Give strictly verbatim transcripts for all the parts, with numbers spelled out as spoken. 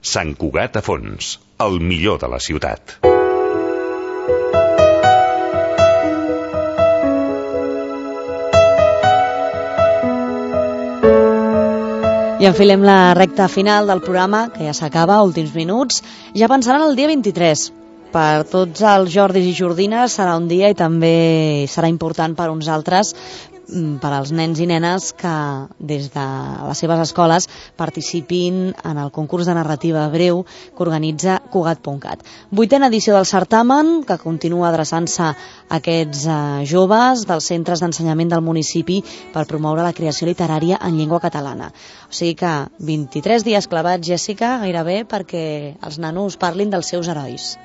Sant Cugat a fons, el millor de la ciutat. I enfilem la recta final del programa, que ja s'acaba, últims minuts, ja pensant en el dia vint-i-tres. Per tots els Jordis i Jordines serà un dia i també serà important per uns altres, per als nens i nenes que des de les seves escoles participin en el concurs de narrativa breu que organitza Cugat punt cat. Vuitena edició del certamen, que continua adreçant-se a aquests eh, joves dels centres d'ensenyament del municipi per promoure la creació literària en llengua catalana. O sigui que vint-i-tres dies clavats, Jèssica, gairebé perquè els nanos parlin dels seus herois.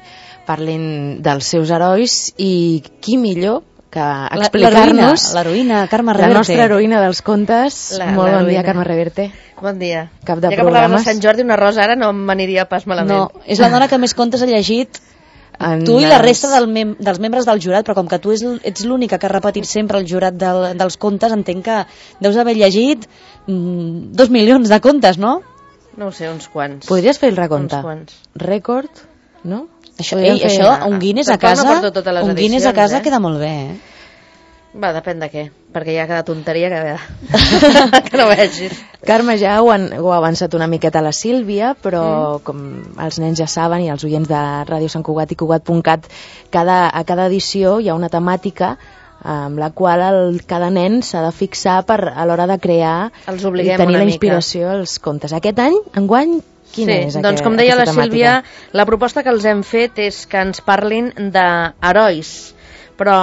Parlin dels seus herois i qui millor que explicar-nos l'heroïna, Carme Reverte. La nostra heroïna dels contes. La, Molt bon dia, Carme Reverte. Bon dia. Cap de ja que parlàvem de Sant Jordi, una rosa ara no m'aniria pas malament. No, és la dona que més contes ha llegit, en tu i els... la resta del mem dels membres del jurat, però com que tu ets l'única que ha repetit sempre el jurat del, dels contes, entenc que deus haver llegit mm, dos milions de contes, no? No ho sé, uns quants. Podries fer el recompte? Uns quants. Rècord, no? Això, ei, fer... això un Guinness a casa, no un Guinness a casa eh? queda molt bé, eh? Va, depèn de què, perquè hi ha cada tonteria que, que no vegis. Carme, ja ho, han, ho ha avançat una miqueta la Sílvia, però mm. com els nens ja saben i els oients de Ràdio Sant Cugat i Cugat punt cat, cada, a cada edició hi ha una temàtica amb la qual el, cada nen s'ha de fixar per, a l'hora de crear els i tenir la inspiració als contes. Aquest any, enguany, quina sí, és aquest, doncs com deia la temàtica? Sílvia, la proposta que els hem fet és que ens parlin d'herois, però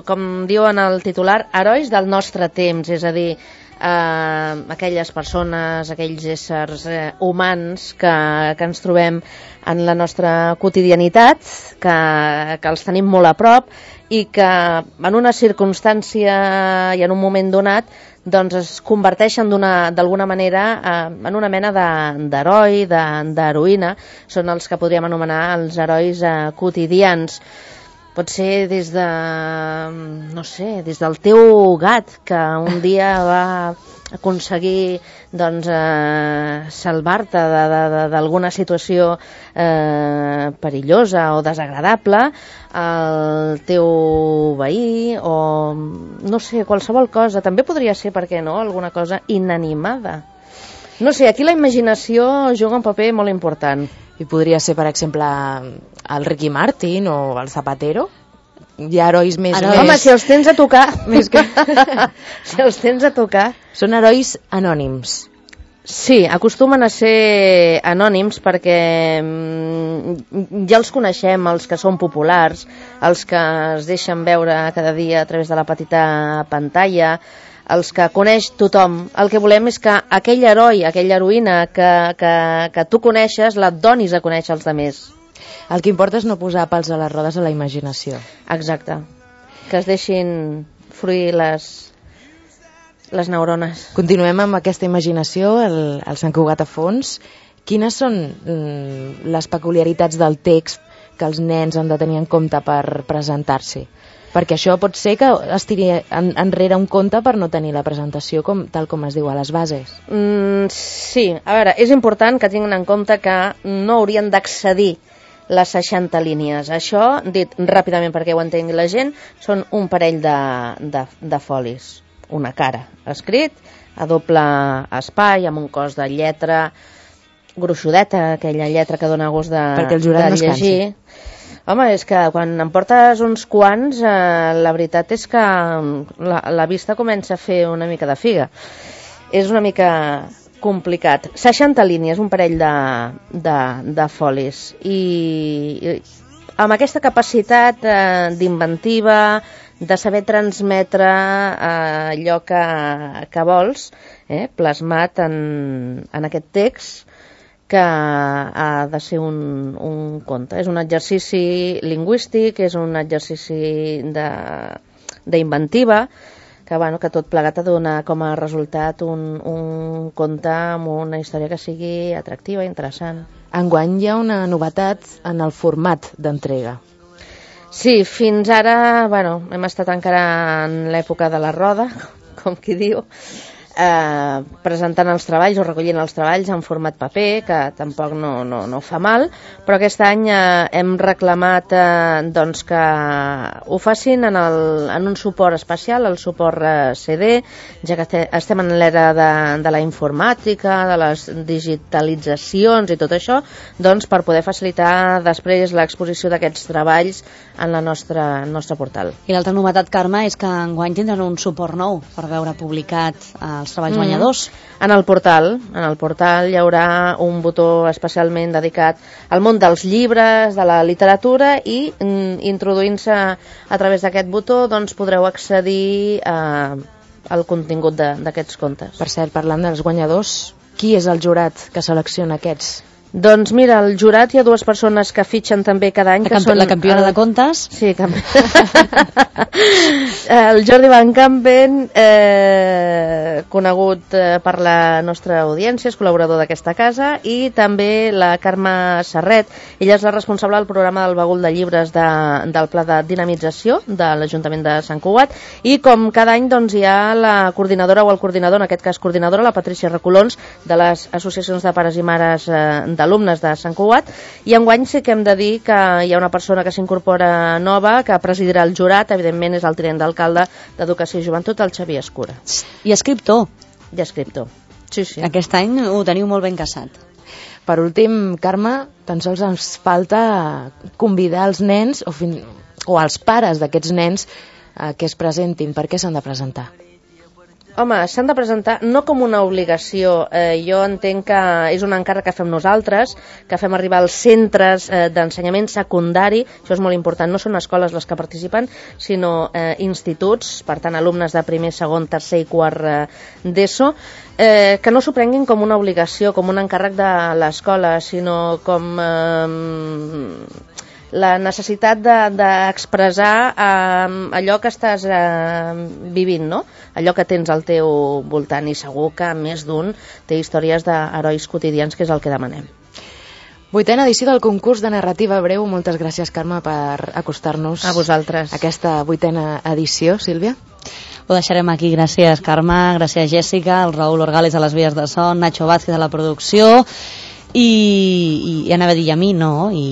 com diuen el titular, herois del nostre temps, és a dir, eh, aquelles persones, aquells éssers eh, humans que, que ens trobem en la nostra quotidianitat, que, que els tenim molt a prop i que en una circumstància i en un moment donat doncs es converteixen d'alguna manera eh, en una mena d'heroi, de, d'heroïna. Són els que podríem anomenar els herois eh, quotidians. Pot ser des de, no sé, des del teu gat, que un dia va aconseguir doncs, eh, salvar-te d'alguna situació eh, perillosa o desagradable, el teu veí o, no sé, qualsevol cosa. També podria ser, per què no, alguna cosa inanimada. No sé, aquí la imaginació juga un paper molt important. I podria ser, per exemple, el Ricky Martin o el Zapatero. Hi ha herois més... Heroi. més... Home, si els tens a tocar... més que... si els tens a tocar... Són herois anònims. Sí, acostumen a ser anònims perquè ja els coneixem, els que són populars, els que es deixen veure cada dia a través de la petita pantalla, els que coneix tothom. El que volem és que aquell heroi, aquella heroïna que, que, que tu coneixes, la donis a conèixer als altres. El que importa és no posar pals a les rodes a la imaginació. Exacte. Que es deixin fruir les, les neurones. Continuem amb aquesta imaginació, el, el Sant Cugat a fons. Quines són mm, les peculiaritats del text que els nens han de tenir en compte per presentar-s'hi? Perquè això pot ser que es tiri en, enrere un conte per no tenir la presentació com, tal com es diu a les bases. Mm, sí, a veure, és important que tinguin en compte que no haurien d'accedir les seixanta línies. Això, dit ràpidament perquè ho entengui la gent, són un parell de, de, de folis. Una cara escrit a doble espai, amb un cos de lletra gruixudeta, aquella lletra que dona gust de, perquè el jurat de no es llegir. cansi. Home, és que quan em portes uns quants, eh, la veritat és que la, la vista comença a fer una mica de figa. És una mica complicat. seixanta línies, un parell de, de, de folis. I, i amb aquesta capacitat eh, d'inventiva, de saber transmetre eh, allò que, que vols, eh, plasmat en, en aquest text, que ha de ser un, un conte. És un exercici lingüístic, és un exercici d'inventiva, que, bueno, que tot plegat ha de donar com a resultat un, un conte amb una història que sigui atractiva, interessant. Enguany hi ha una novetat en el format d'entrega. Sí, fins ara, bueno, hem estat encara en l'època de la roda, com qui diu. eh, presentant els treballs o recollint els treballs en format paper, que tampoc no, no, no fa mal, però aquest any eh, hem reclamat eh, doncs que ho facin en, el, en un suport especial, el suport eh, C D, ja que te, estem en l'era de, de la informàtica, de les digitalitzacions i tot això, doncs per poder facilitar després l'exposició d'aquests treballs en la nostra, el nostre portal. I l'altra novetat, Carme, és que enguany tindran un suport nou per veure publicat els treballs mm. guanyadors. En el portal, en el portal hi haurà un botó especialment dedicat al món dels llibres, de la literatura, i mm, introduint-se a través d'aquest botó doncs podreu accedir a, al contingut d'aquests contes. Per cert, parlant dels guanyadors, qui és el jurat que selecciona aquests? Doncs mira, al jurat hi ha dues persones que fitxen també cada any. La, que camp són la campiona el... de contes? Sí, camp... el Jordi Van Campen, eh, conegut eh, per la nostra audiència, és col·laborador d'aquesta casa, i també la Carme Serret. Ella és la responsable del programa del Bagul de Llibres de, del Pla de Dinamització de l'Ajuntament de Sant Cugat, i com cada any doncs, hi ha la coordinadora o el coordinador, en aquest cas coordinadora, la Patricia Recolons, de les associacions de pares i mares eh, de d'alumnes de Sant Cugat, i enguany sí que hem de dir que hi ha una persona que s'incorpora nova, que presidirà el jurat, evidentment és el tinent d'alcalde d'Educació i Joventut, el Xavier Escura. I escriptor. I escriptor. Sí, sí. Aquest any ho teniu molt ben caçat. Per últim, Carme, tan sols ens falta convidar els nens o, fin... o els pares d'aquests nens eh, que es presentin. Per què s'han de presentar? Home, s'han de presentar no com una obligació. Eh, jo entenc que és un encàrrec que fem nosaltres, que fem arribar als centres eh, d'ensenyament secundari. Això és molt important. No són escoles les que participen, sinó eh, instituts, per tant, alumnes de primer, segon, tercer i quart eh, d'ESO, eh, que no s'ho prenguin com una obligació, com un encàrrec de l'escola, sinó com... Eh, la necessitat d'expressar de, eh, allò que estàs eh, vivint, no? Allò que tens al teu voltant, i segur que més d'un té històries d'herois quotidians, que és el que demanem. Vuitena edició del concurs de narrativa breu. Moltes gràcies, Carme, per acostar-nos a vosaltres aquesta vuitena edició. Sílvia? Ho deixarem aquí. Gràcies, Carme, gràcies, Jèssica, el Raül Orgales a les vies de son, Nacho Vázquez a la producció, i, i anava a dir a mi, no, i,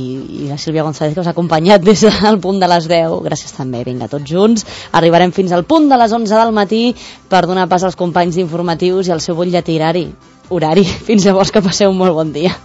i la Sílvia González, que us ha acompanyat des del punt de les deu. Gràcies també, vinga, tots junts. Arribarem fins al punt de les onze del matí per donar pas als companys d'informatius i al seu butlletí horari. Horari. Fins llavors, que passeu un molt bon dia.